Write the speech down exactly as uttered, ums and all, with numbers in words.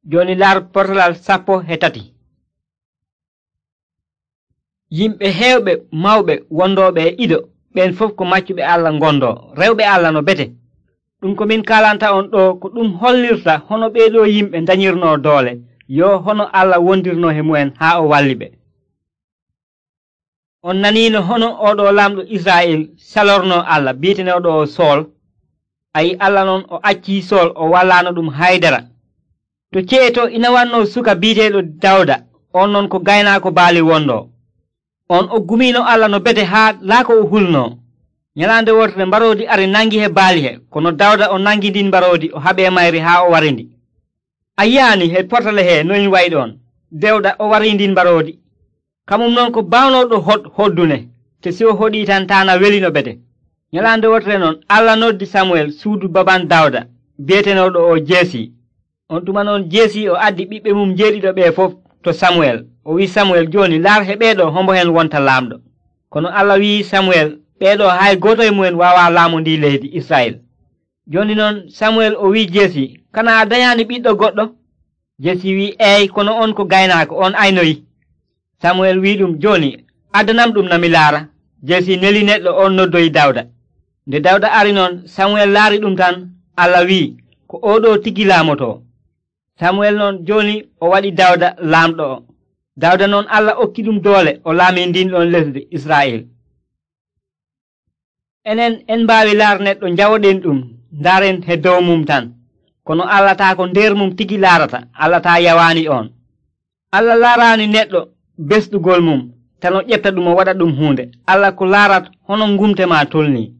Joni laar portalal sappo e tati. Yimɓe heewɓe mawɓe wondooɓe e ido ɓen fof ko maccuɓe Allah ngondo rewɓe Allah no bete. Ɗum ko min kalanta on ɗo ko ɗum hollirta hono ɓeeɗo yimɓe dañirno doole yo hono Allah wondirno e mu'en haa o walli ɓe. On naniino hono oɗo lamɗo Israa'il salorno Allah bi'eteneɗo o Sool. Ayi Allah noon o accii Sool o wallano ɗum haydara. To ceeto ina wanno suka bi'eteɗo Dawda, on noon ko gaynaako baali wondo. On o gumino Allah no bete haa laako o hulno. Nyalande wotere mbaroodi ari nangi he baali he, kono Dawda o nangi ndin mbaroodi o haɓe mayri haa o warindi. A yi'ani he portale he noyin wayi ɗon. Dawda o wari ndin mbaroodi. Kamum noon ko bawnoɗo hod hoddune, te si o hoɗi tan tana welino bete. Nyalande wotere noon Allah noddi Samuel suudu baban Dawda, bi'etenoɗo o Jesi. On tuma noon Jesi o addi ɓiɓɓe mum jeeɗiɗo ɓe fof to Samuel. O wi Samuel, joni laar he ɓeeɗo hombo hen wonta laamɗo. Kono Allah wi Samuel, ɓeeɗo hay goto e mumen wawa laamondi leydi Israel. Joni noon Samuel o wi Jesi, kana a dayani ɓiɗɗo goɗɗo? Jesi wi, eey, kono on ko gaynaako, on aynoyi. Samuel wi ɗum, joni addanam ɗum nami laara. Jesi neli neɗɗo on noddoyi Dawda. Nde Dawda ari noon Samuel laari ɗum tan, Allah wi, ko oɗo tigi laamoto. Samuel noon joni o waɗi Dawda laamɗo o. Dawda noon Allah okki ɗum doole o laami ndin ɗon lesdi Israa'il. Enen en mbaawi laar neɗɗo njawoɗen ɗum ndaren he dow mum tan, kono Allah taa ko nder mum tigi laarata, Allah taa yawaani on. Allah laaraani neɗɗo besɗugol mum tan o ƴetta ɗum o waɗa ɗum huunde. Allah ko laarat hono ngumte ma tolni.